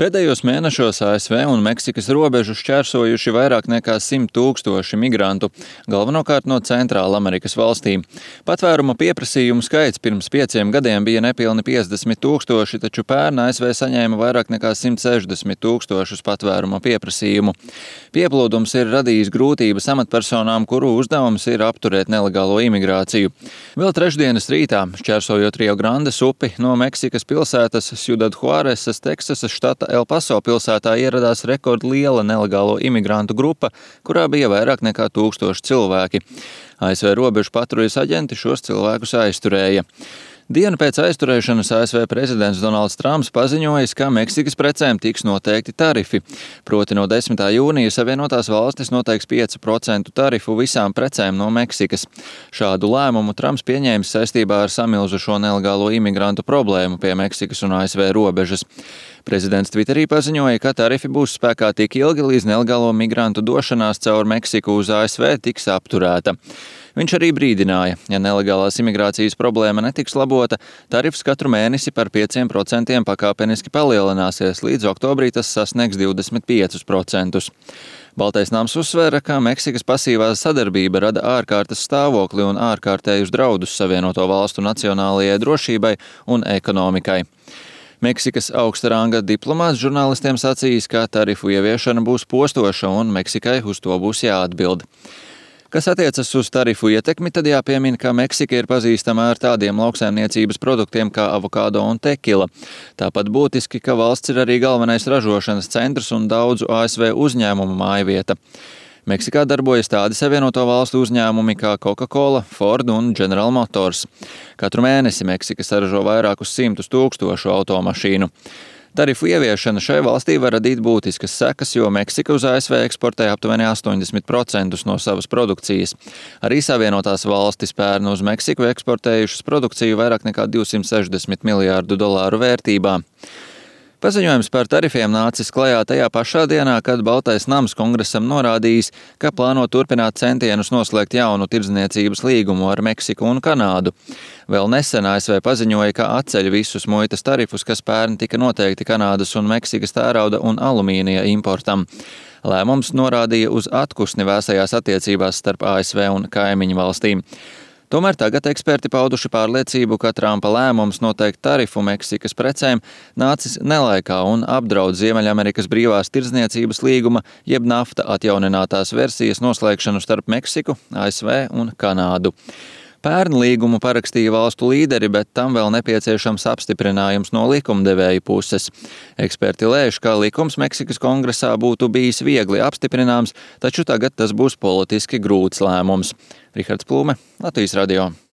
Pēdējos mēnešos ASV un Meksikas robežu šķērsojuši vairāk nekā 100 000 migrantu, galvenokārt no Centrāla Amerikas valstīm. Patvēruma pieprasījumu skaits pirms 5 gadiem bija nepilni 50 000, taču pērn ASV saņēma vairāk nekā 160 000 patvēruma pieprasījumu. Pieplūdums ir radījis grūtības amatpersonām, kuru uzdevums ir apturēt nelegālo imigrāciju. Vēl trešdienas rītā, šķērsojot Rio Grandes upi no Meksikas pilsētas Ciudad Juaresas, Teksasas štata El Paso pilsētā ieradās rekordliela nelegālo imigrantu grupa, kurā bija vairāk nekā 1000 cilvēki. ASV robežu patruļas aģenti šos cilvēkus aizturēja. Dienu pēc aizturēšanas ASV prezidents Donalds Trumps paziņojis, ka Meksikas precēm tiks noteikti tarifi. Proti no 10. jūnija Savienotās valstis noteiks 5% tarifu visām precēm no Meksikas. Šādu lēmumu Trumps pieņēmis saistībā ar samilzušo nelegālo imigrantu problēmu pie Meksikas un ASV robežas. Prezidents Twitterī paziņoja, ka tarifi būs spēkā tik ilgi, līdz nelegālo migrantu došanās caur Meksiku uz ASV tiks apturēta. Viņš arī brīdināja, ja nelegālās imigrācijas problēma netiks labota, tarifs katru mēnesi par 5% pakāpeniski palielināsies, līdz oktobrī tas sasniegs 25%. Baltais nams uzsvēra, ka Meksikas pasīvā sadarbība rada ārkārtas stāvokli un ārkārtējus draudus Savienoto valstu nacionālajai drošībai un ekonomikai. Meksikas augsta ranga diplomāts žurnālistiem sacījis, ka tarifu ieviešana būs postoša un Meksikai uz to būs jāatbild. Kas attiecas uz tarifu ietekmi, tad jāpiemina, ka Meksika ir pazīstama ar tādiem lauksaimniecības produktiem kā avokado un tekila. Tāpat būtiski, ka valsts ir arī galvenais ražošanas centrs un daudzu ASV uzņēmumu mājvieta. Meksikā darbojas tādi Savienoto valstu uzņēmumi kā Coca-Cola, Ford un General Motors. Katru mēnesi Meksika saražo vairākus 100 000 automašīnu. Tarifu ieviešana šai valstī var radīt būtiskas sekas, jo Meksika uz ASV eksportē aptuveni 80% no savas produkcijas. Arī Savienotās valstis pērn uz Meksiku eksportējušas produkciju vairāk nekā $260 miljārdu vērtībā. Paziņojums par tarifiem nācis klajā tajā pašā dienā, kad Baltais nams kongresam norādījis, ka plāno turpināt centienus noslēgt jaunu tirdzniecības līgumu ar Meksiku un Kanādu. Vēl nesen ASV paziņoja, ka atceļ visus muitas tarifus, kas pērn tika noteikti Kanādas un Meksikas tērauda un alumīnija importam. Lēmums norādīja uz atpūsni vēsajās attiecībās starp ASV un kaimiņu valstīm. Tomēr tagad eksperti pauduši pārliecību, ka Trumpa lēmums noteikt tarifu Meksikas precēm nācis nelaikā un apdraud Ziemeļamerikas brīvās tirdzniecības līguma, jeb NAFTA atjauninātās versijas noslēgšanu starp Meksiku, ASV un Kanādu. Pērn līgumu parakstīja valstu līderi, bet tam vēl nepieciešams apstiprinājums no likumdevēja puses. Eksperti lēš, ka likums Meksikas kongresā būtu bijis viegli apstiprināms, taču tagad tas būs politiski grūts lēmums. Rihards Plūme, Latvijas radio.